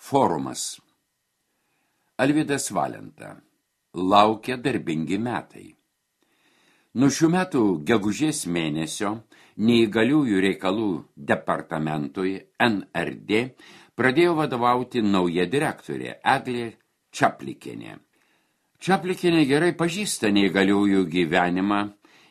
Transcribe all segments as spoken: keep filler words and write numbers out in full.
Forumas. Alvydas Valenta. Laukia darbingi metai. Nuo šių metų gegužės mėnesio neįgaliųjų reikalų departamentui N R D pradėjo vadovauti nauja direktorė Eglė Čaplikienė. Čaplikienė gerai pažįsta neįgaliųjų gyvenimą,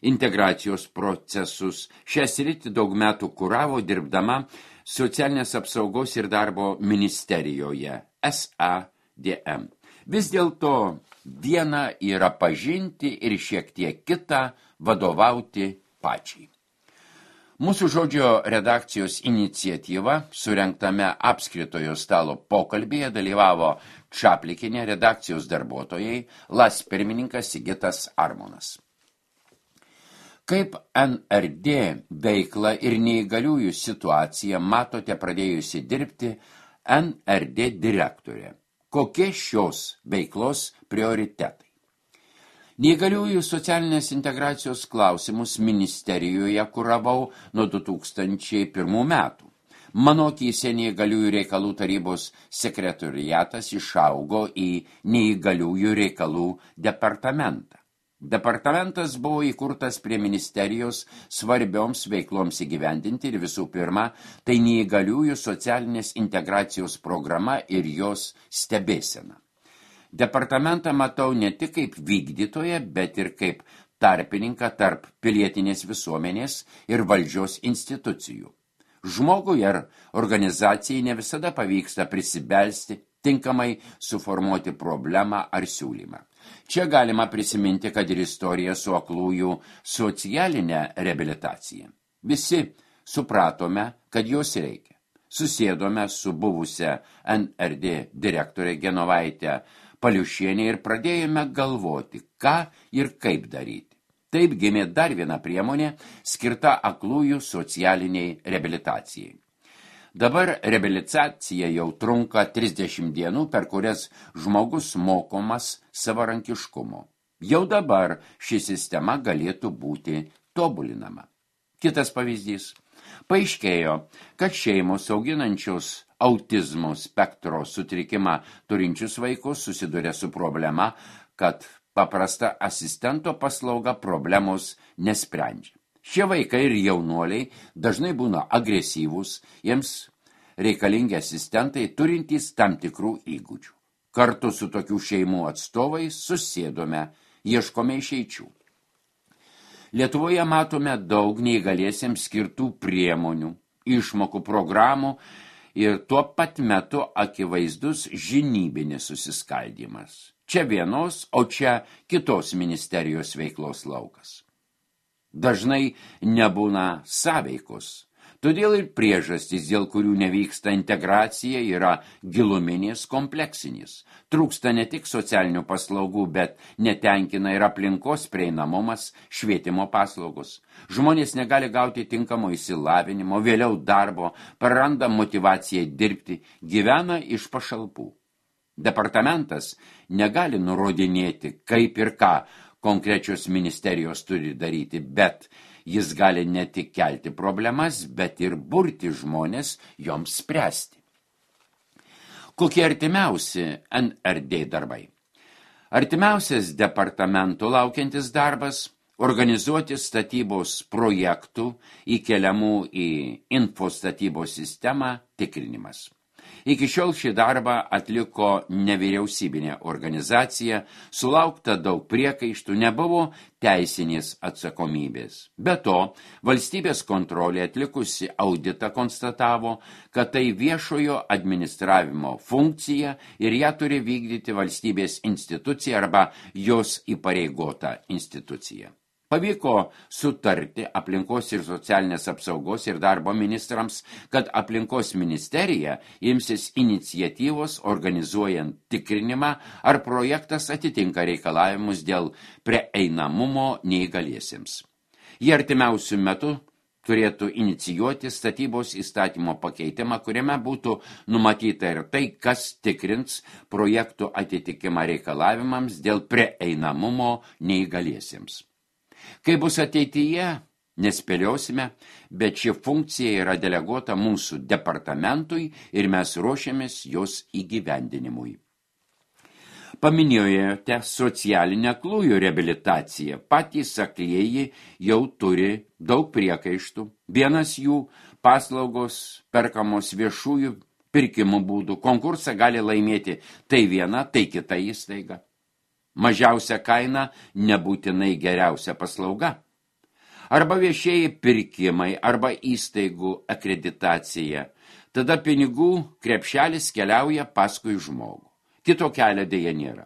integracijos procesus. Šią sritį daug metų kuravo dirbdama Socialinės apsaugos ir darbo ministerijoje S A D M. Vis dėlto viena yra pažinti ir šiek tiek kitą vadovauti pačiai. Mūsų žodžio redakcijos iniciatyva surengtame apskritojo stalo pokalbėje dalyvavo Čaplikienė, redakcijos darbuotojai, LAS pirmininkas Sigitas Armonas. Kaip N R D veiklą ir neįgaliųjų situaciją matote pradėjusi dirbti N R D direktorė? Kokie šios veiklos prioritetai? Neįgaliųjų socialinės integracijos klausimus ministerijoje kuravau nuo du tūkstančiai pirmų metų. Mano akyse neįgaliųjų reikalų tarybos sekretoriatas išaugo į neįgaliųjų reikalų departamentą. Departamentas buvo įkurtas prie ministerijos svarbioms veikloms įgyvendinti ir visų pirma, tai neįgaliųjų socialinės integracijos programa ir jos stebėsena. Departamentą matau ne tik kaip vykdytoją, bet ir kaip tarpininką tarp pilietinės visuomenės ir valdžios institucijų. Žmogui ar organizacijai ne visada pavyksta prisibelsti, tinkamai suformuoti problemą ar siūlymą. Čia galima prisiminti, kad ir istorija su aklųjų socialinė reabilitacija. Visi supratome, kad jos reikia. Susėdome su buvusia N R D direktorė Genovaitė Paliušienė ir pradėjome galvoti, ką ir kaip daryti. Taip gimė dar viena priemonė skirta aklųjų socialiniai reabilitacijai. Dabar reabilitacija jau trunka trisdešimt dienų, per kurias žmogus mokomas savarankiškumo. Jau dabar ši sistema galėtų būti tobulinama. Kitas pavyzdys. Paaiškėjo, kad šeimos auginančios autizmo spektro sutrikimą turinčius vaikus susiduria su problema, kad paprasta asistento paslauga problemos nesprendžia. Šie vaikai ir jaunuoliai dažnai būna agresyvūs, jiems reikalingi asistentai turintys tam tikrų įgūdžių. Kartu su tokių šeimų atstovais susėdome, ieškome išeičių. Lietuvoje matome daug neįgaliesiems skirtų priemonių, išmokų programų ir tuo pat metu akivaizdus žinybinis susiskaldymas. Čia vienos, o čia kitos ministerijos veiklos laukas. Dažnai nebūna sąveikos. Todėl ir priežastys, dėl kurių nevyksta integracija, yra giluminės kompleksinės. Trūksta ne tik socialinių paslaugų, bet netenkina ir aplinkos prieinamumas, švietimo paslaugos. Žmonės negali gauti tinkamo išsilavinimo, vėliau darbo, praranda motyvaciją dirbti, gyvena iš pašalpų. Departamentas negali nurodinėti, kaip ir ką konkrečios ministerijos turi daryti, bet jis gali ne tik kelti problemas, bet ir burti žmonės joms spręsti. Kokie artimiausi N R D darbai? Artimiausias departamento laukiantis darbas – organizuoti statybos projektų įkeliamų į infostatybos sistemą tikrinimas. Iki šiol šį darbą atliko nevyriausybinė organizacija, sulaukta daug priekaištų, nebuvo teisinės atsakomybės. Be to, valstybės kontrolė atlikusi auditą konstatavo, kad tai viešojo administravimo funkcija ir ją turi vykdyti valstybės institucija arba jos įpareigota institucija. Pavyko sutarti aplinkos ir socialinės apsaugos ir darbo ministrams, kad aplinkos ministerija imsis iniciatyvos organizuojant tikrinimą, ar projektas atitinka reikalavimus dėl prieinamumo neįgaliesiems. Jie artimiausių metų turėtų inicijuoti statybos įstatymo pakeitimą, kuriame būtų numatyta ir tai, kas tikrins projektų atitikimą reikalavimams dėl prieinamumo neįgaliesiems. Kai bus ateityje, Nespėliosime, bet ši funkcija yra deleguota mūsų departamentui ir mes ruošiamės jos įgyvendinimui. Paminėjote socialinę aklųjų reabilitaciją. Patys aklieji jau turi daug priekaištų. Vienas jų paslaugos perkamos viešųjų pirkimų būdų. Konkursą gali laimėti tai viena, tai kita įstaiga. Mažiausia kaina nebūtinai geriausia paslauga. Arba viešieji pirkimai, arba įstaigų akreditacija. Tada pinigų krepšelis keliauja paskui žmogų. Kito kelio dėja nėra.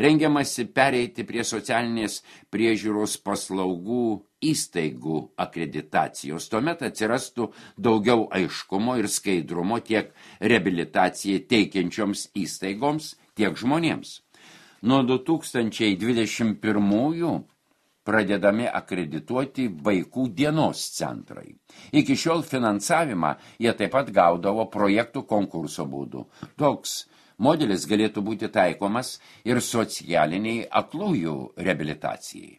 Rengiamasi pereiti prie socialinės priežiūros paslaugų įstaigų akreditacijos. Tuomet atsirastų daugiau aiškumo ir skaidrumo tiek reabilitacijai teikiančioms įstaigoms, tiek žmonėms. Nuo du tūkstančiai dvidešimt pirmųjų pradedami akredituoti vaikų dienos centrai. Iki šiol finansavimą jie taip pat gaudavo projektų konkurso būdu. Toks modelis galėtų būti taikomas ir socialiniai aklųjų reabilitacijai.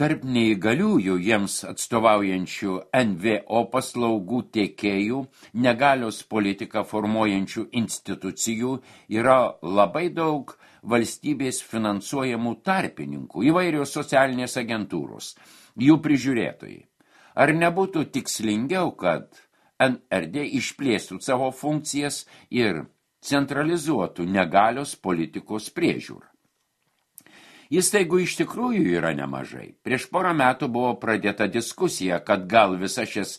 Tarp neįgaliųjų jiems atstovaujančių N V O paslaugų tiekėjų, negalios politiką formuojančių institucijų yra labai daug valstybės finansuojamų tarpininkų, įvairios socialinės agentūros, jų prižiūrėtojai. Ar nebūtų tikslingiau, kad N R D išplėstų savo funkcijas ir centralizuotų negalios politikos priežiūrą? Įstaigų iš tikrųjų yra nemažai. Prieš porą metų buvo pradėta diskusija, kad gal visas šias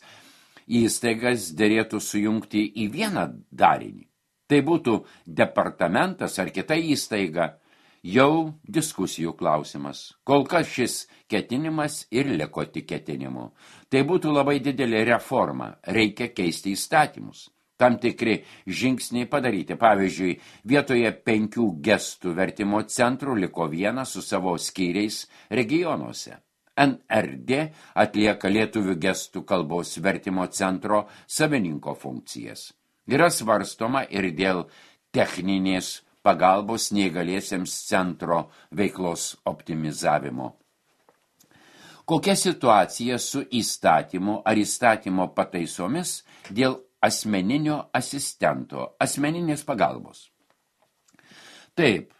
įstaigas derėtų sujungti į vieną darinį. Tai būtų departamentas ar kita įstaiga, jau diskusijų klausimas. Kol kas šis ketinimas ir liko tik ketinimu. Tai būtų labai didelė reforma, reikia keisti įstatymus. Tam tikri žingsniai padaryti. Pavyzdžiui, vietoje penkių gestų vertimo centrų liko vienas su savo skyriais regionuose. N R D atlieka lietuvių gestų kalbos vertimo centro savininko funkcijas. Yra svarstoma ir dėl techninės pagalbos neįgaliesiems centro veiklos optimizavimo. Kokia situacija su įstatymu ar įstatymo pataisomis dėl asmeninio asistento, asmeninės pagalbos? Taip,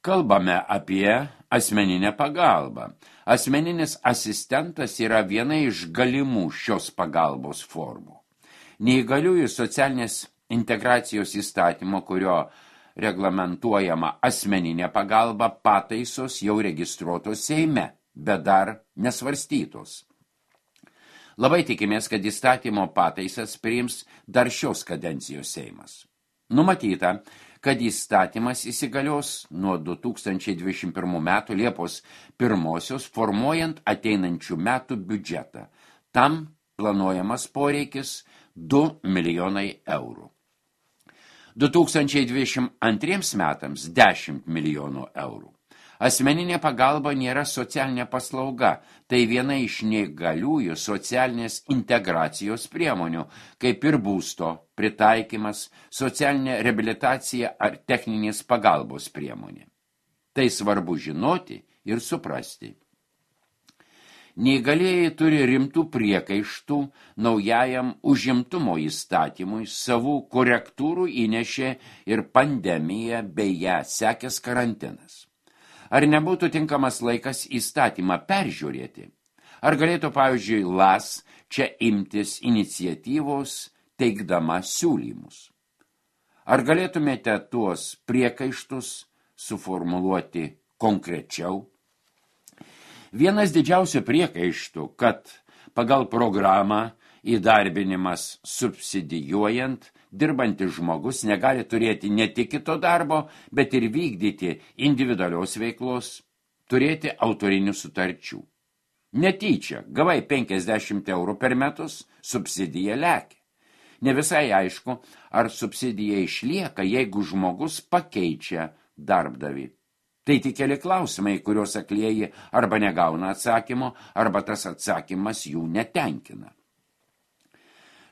kalbame apie asmeninę pagalbą. Asmeninis asistentas yra viena iš galimų šios pagalbos formų. Neįgaliųjų socialinės integracijos įstatymo, kurio reglamentuojama asmeninė pagalba, pataisos jau registruotos Seime, bet dar nesvarstytos. Labai tikimės, kad įstatymo pataisas priims dar šios kadencijos Seimas. Numatyta, kad įstatymas įsigalios nuo du tūkstančiai dvidešimt pirmų metų Liepos pirmosios, formuojant ateinančių metų biudžetą. Tam planuojamas poreikis du milijonai eurų. du tūkstančiai dvidešimt antriems metams dešimt milijonų eurų. Asmeninė pagalba nėra socialinė paslauga, tai viena iš neįgaliųjų socialinės integracijos priemonių, kaip ir būsto pritaikymas, socialinė reabilitacija ar techninės pagalbos priemonė. Tai svarbu žinoti ir suprasti. Neįgalieji turi rimtų priekaištų naujajam užimtumo įstatymui, savų korektūrų įnešė ir pandemija bei ją sekęs karantinas. Ar nebūtų tinkamas laikas įstatymą peržiūrėti? Ar galėtų, pavyzdžiui, L A S čia imtis iniciatyvos teikdama siūlymus? Ar galėtumėte tuos priekaištus suformuluoti konkrečiau? Vienas didžiausių priekaištų, kad pagal programą įdarbinimas subsidijuojant, dirbantis žmogus negali turėti ne tik kito darbo, bet ir vykdyti individualios veiklos, turėti autorinių sutarčių. Netyčia, gavai penkiasdešimt eurų per metus, subsidija lekia. Ne visai aišku, ar subsidija išlieka, jeigu žmogus pakeičia darbdavį. Tai tik keli klausimai, kuriuos aklieji arba negauna atsakymo, arba tas atsakymas jų netenkina.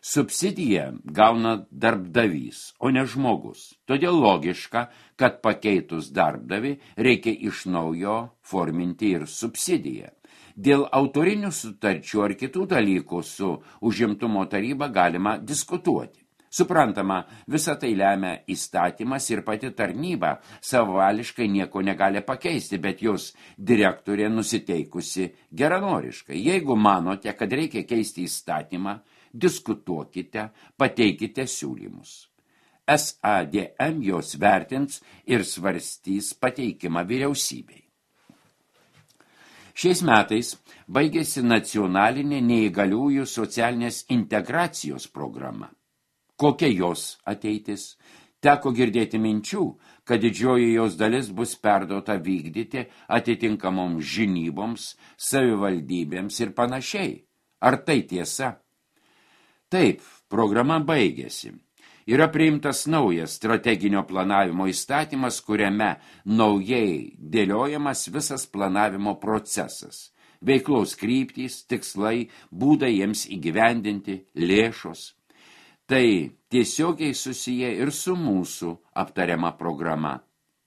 Subsidiją gauna darbdavys, o ne žmogus. Todėl logiška, kad pakeitus darbdavį reikia iš naujo forminti ir subsidiją. Dėl autorinių sutarčių ar kitų dalykų su užimtumo taryba galima diskutuoti. Suprantama, visą tai lemia įstatymas ir pati tarnyba savališkai nieko negali pakeisti, bet jos direktorė nusiteikusi geranoriškai. Jeigu manote, kad reikia keisti įstatymą, diskutuokite, pateikite siūlymus. S A D M jos vertins ir svarstys pateikimą vyriausybei. Šiais metais baigėsi nacionalinė neįgaliųjų socialinės integracijos programa. Kokia jos ateitis? Teko girdėti minčių, kad didžioji jos dalis bus perduota vykdyti atitinkamoms žinyboms, savivaldybėms ir panašiai. Ar tai tiesa? Taip, programa baigėsi. Yra priimtas naujas strateginio planavimo įstatymas, kuriame naujai dėliojamas visas planavimo procesas. Veiklos kryptys, tikslai, būdai jiems įgyvendinti, lėšos. Tai tiesiogiai susiję ir su mūsų aptariama programa.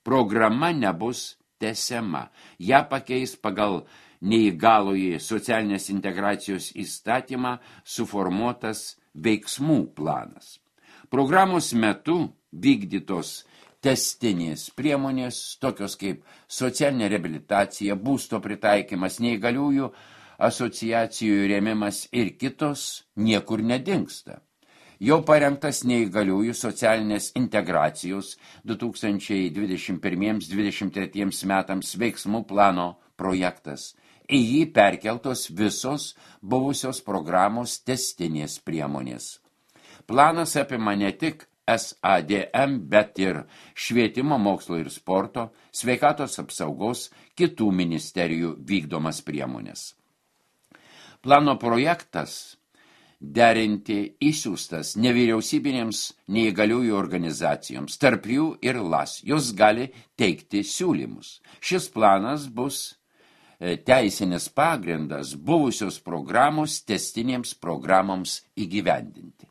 Programa nebus tęsiama. Ja pakeis pagal neįgalųjį socialinės integracijos įstatymą suformuotas veiksmų planas. Programos metu vykdytos testinės priemonės, tokios kaip socialinė reabilitacija, būsto pritaikymas, neįgaliųjų asociacijų rėmimas ir kitos niekur nedingsta. Jau parengtas neįgaliųjų socialinės integracijos du tūkstančiai dvidešimt pirmiems dvidešimt tretiems metams veiksmų plano projektas. Į jį perkeltos visos buvusios programos testinės priemonės. Planas apima ne tik S A D M, bet ir švietimo, mokslo ir sporto, sveikatos apsaugos, kitų ministerijų vykdomas priemonės. Plano projektas derinti išsiųstas nevyriausybinėms neįgaliųjų organizacijoms, tarp jų ir L A S. Jos gali teikti siūlymus. Šis planas bus teisinis pagrindas buvusios programos testinėms programoms įgyvendinti.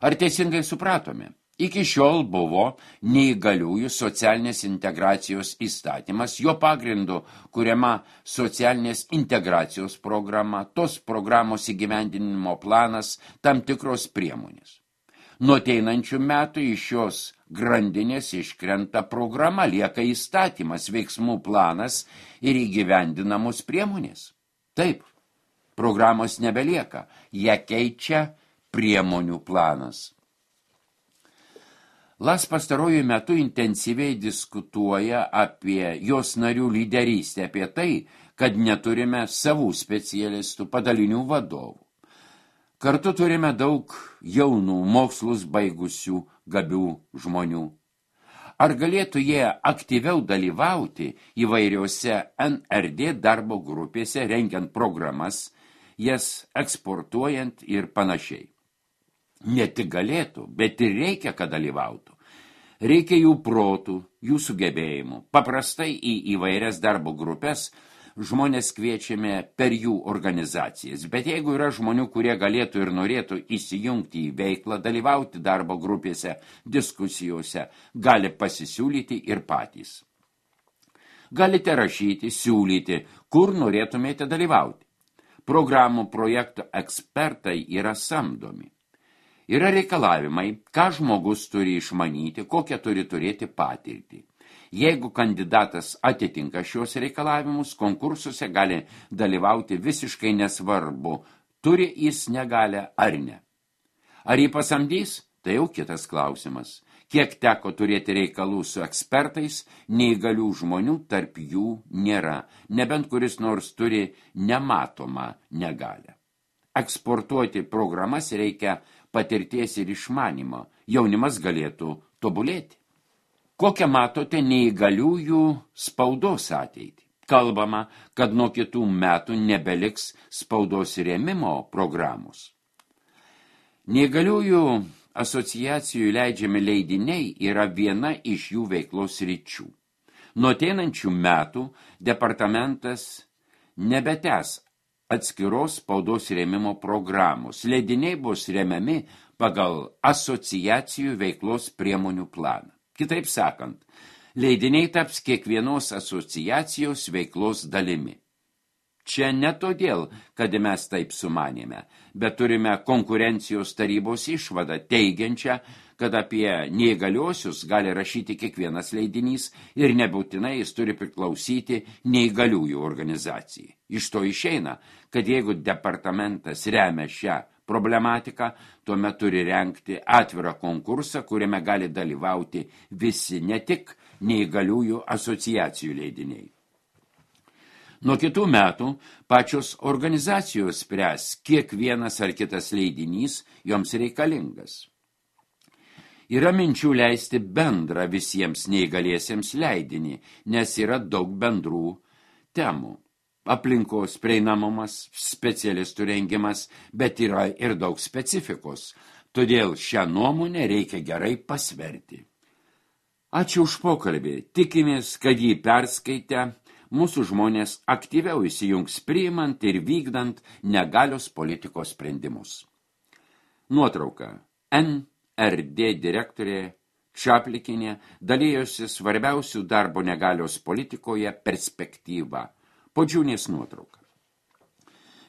Ar teisingai supratome? Iki šiol buvo neįgaliųjų socialinės integracijos įstatymas, jo pagrindu kuriama socialinės integracijos programa, tos programos įgyvendinimo planas, tam tikros priemonės. Nuo ateinančių metų iš šios grandinės iškrenta programa, lieka įstatymas, veiksmų planas ir įgyvendinamos priemonės. Taip, programos nebelieka, ją keičia priemonių planas. L A S pastarojų metu intensyviai diskutuoja apie jos narių lyderystę, apie tai, kad neturime savų specialistų, padalinių vadovų. Kartu turime daug jaunų mokslus baigusių gabių žmonių. Ar galėtų jie aktyviau dalyvauti įvairiose N R D darbo grupėse, rengiant programas, jas eksportuojant ir panašiai? Ne tik galėtų, bet ir reikia, kad dalyvautų. Reikia jų protų, jų sugebėjimų. Paprastai į įvairias darbo grupės žmonės kviečiame per jų organizacijas. Bet jeigu yra žmonių, kurie galėtų ir norėtų įsijungti į veiklą, dalyvauti darbo grupėse, diskusijose, gali pasisiūlyti ir patys. Galite rašyti, siūlyti, kur norėtumėte dalyvauti. Programų projektų ekspertai yra samdomi. Yra reikalavimai, ką žmogus turi išmanyti, kokią turi turėti patirtį. Jeigu kandidatas atitinka šios reikalavimus, konkursuose gali dalyvauti visiškai nesvarbu, turi jis negalę ar ne. Ar jį pasamdys? Tai jau kitas klausimas. Kiek teko turėti reikalų su ekspertais, neįgalių žmonių tarp jų nėra, nebent kuris nors turi nematomą negalę. Eksportuoti programas reikia patirties ir išmanimo, jaunimas galėtų tobulėti. Kokią matote neįgaliųjų spaudos ateitį? Kalbama, kad nuo kitų metų nebeliks spaudos rėmimo programos. Neįgaliųjų asociacijų leidžiami leidiniai yra viena iš jų veiklos ryčių. Nuo ateinančių metų departamentas nebetęs atskiros spaudos rėmimo programos. Leidiniai bus remiami pagal asociacijų veiklos priemonių planą. Kitaip sakant, leidiniai taps kiekvienos asociacijos veiklos dalimi. Čia ne todėl, kad mes taip sumanėme, bet turime konkurencijos tarybos išvadą teigiančią, kad apie neįgaliuosius gali rašyti kiekvienas leidinys ir nebūtinai jis turi priklausyti neįgaliųjų organizacijai. Iš to išeina, kad jeigu departamentas remia šią problematiką, tuomet turi rengti atvirą konkursą, kuriame gali dalyvauti visi, ne tik neįgaliųjų asociacijų leidiniai. Nuo kitų metų pačios organizacijos spręs, kiek vienas ar kitas leidinys joms reikalingas. Yra minčių leisti bendrą visiems neįgaliesiems leidinį, nes yra daug bendrų temų. Aplinkos prieinamumas, specialistų rengimas, bet yra ir daug specifikos. Todėl šią nuomonę reikia gerai pasverti. Ačiū už pokalbį. Tikimės, kad jį perskaitę mūsų žmonės aktyviau įsijungs priimant ir vykdant negalios politikos sprendimus. Nuotrauka. N R D direktorė Čaplikinė dalyjosi svarbiausių darbo negalios politikoje perspektyvą. Podžiūnės nuotrauka.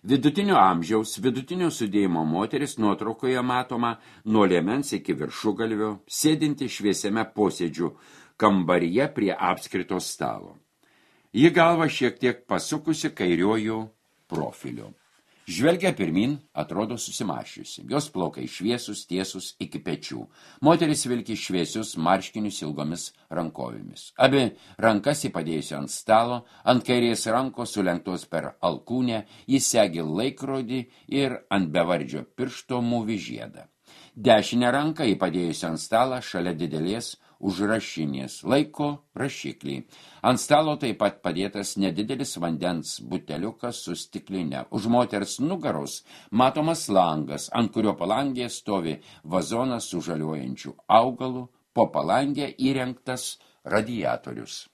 Vidutinio amžiaus, vidutinio sudėjimo moteris nuotraukoje matoma nuo liemens iki viršugalvio, sėdinti šviesiame posėdžių kambaryje prie apskrito stalo. Ji galva šiek tiek pasukusi kairiuoju profiliu. Žvelgia pirmin, atrodo susimašiusi. Jos plaukai šviesus, tiesus iki pečių. Moteris vilki šviesius marškinius ilgomis rankovėmis. Abi rankas įpadėjusi ant stalo, ant kairės rankos sulenktos per alkūnę, jis segi laikrodį ir ant bevardžio piršto mūvi žiedą. Dešinę ranką įpadėjusi ant stalą šalia didelės užrašinės laiko rašiklį. Ant stalo taip pat padėtas nedidelis vandens buteliukas su stikline. Už moters nugaros matomas langas, ant kurio palangėje stovi vazonas su žaliuojančiu augalu, po palangę įrengtas radiatorius.